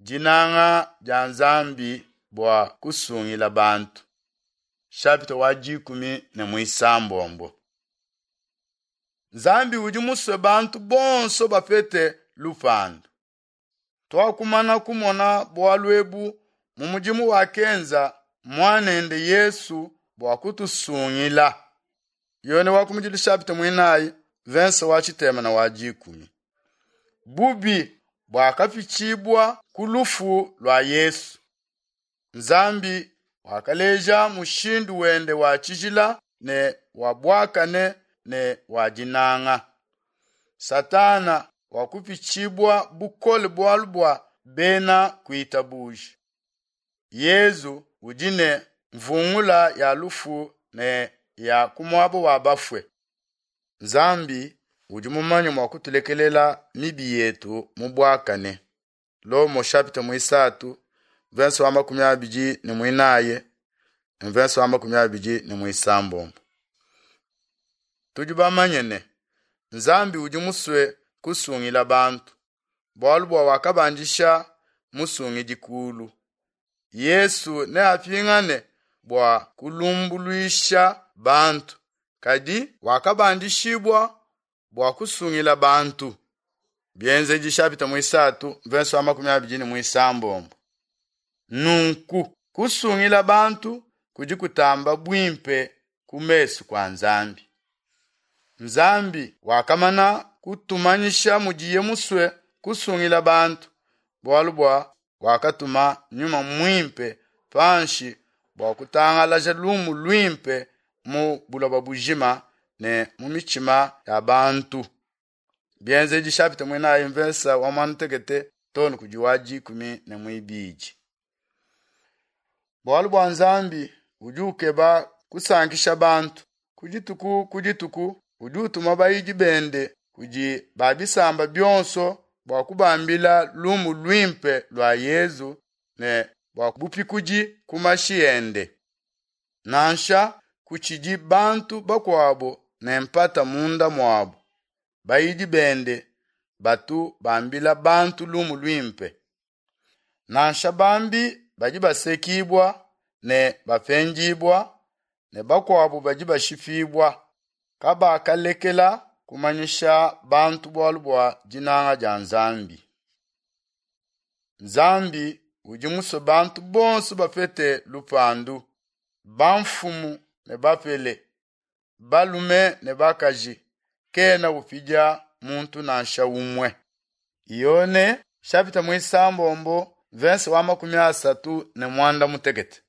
Dinanga dia Nzambi bua kusungila bantu. Shapita wa dikumi ne muisambombo. Nzambi udi musue bantu bonso bapete lupandu. Tuakumana kumona bualu ebu mu mudimu wakenza muanende Yesu bua kutusungila. Yone wa kumudilu shapita muinayi verse wa tshitema na wa dikumi. Bubi buakapitshibua ku lufu lua Yesu. Nzambi wakaleja mushindu wende wa tshijila ne wa buakane ne wa dinanga. Satana wakupitshibua bukole bualu bua bena kuitabuja. Yezu udi ne mvungula ya lufu ne ya ku muaba wa bafue. Nzambi udi mumanye mua kutulekelela mibi yetu mu buakane. Lomo chapitre muisatu verse wa 24 ne verse wa 26. Tudi bamanye ne Nzambi udi musue kusungila bantu bualu bua wakabandisha musungidi kulu. Yesu neapingane bua kulumbuluisha bantu, kadi wakabandishibua bua kusungila bantu. Bienzedi chapitre muisatu verse wa 26. Nunku kusungila bantu kudi kutamba buimpe ku mesu kwa Nzambi. Nzambi wakamana kutumanyisha mudiye musue kusungila bantu bualu bua wakatuma nyuma muimpe panshi bua kutangalaja lumu luimpe mu buloba bujima ne mu mitshima ya bantu. Bienzedi chapitre muinayi mvesa wa muanda too ne kudi wa dikumi ne muibidi. Bualu bua Nzambi udi ukeba kusankisha bantu ku dituku ku dituku udi utuma bayidi bende kudi ba bisamba bionso bua kubambila lumu luimpe lua Yezu ne bua bupikudi ku mashi ende. Nansha kutshidi bantu bakuabo ne mpata munda muabu, bayidi bende batu bambila bantu lumu luimpe. Nansha bambi badi basekibua ne bapendibua ne bakuabu badi bashipibua kabakalekela kumanyisha bantu bualu bua dinanga dia Nzambi. Nzambi udi musue bantu bonso bapete lupandu, bamfumu ne bapele, balume ne bakaji, kena upidia muntu nansha umue. Yone chapitre muisambombo verse wa 36.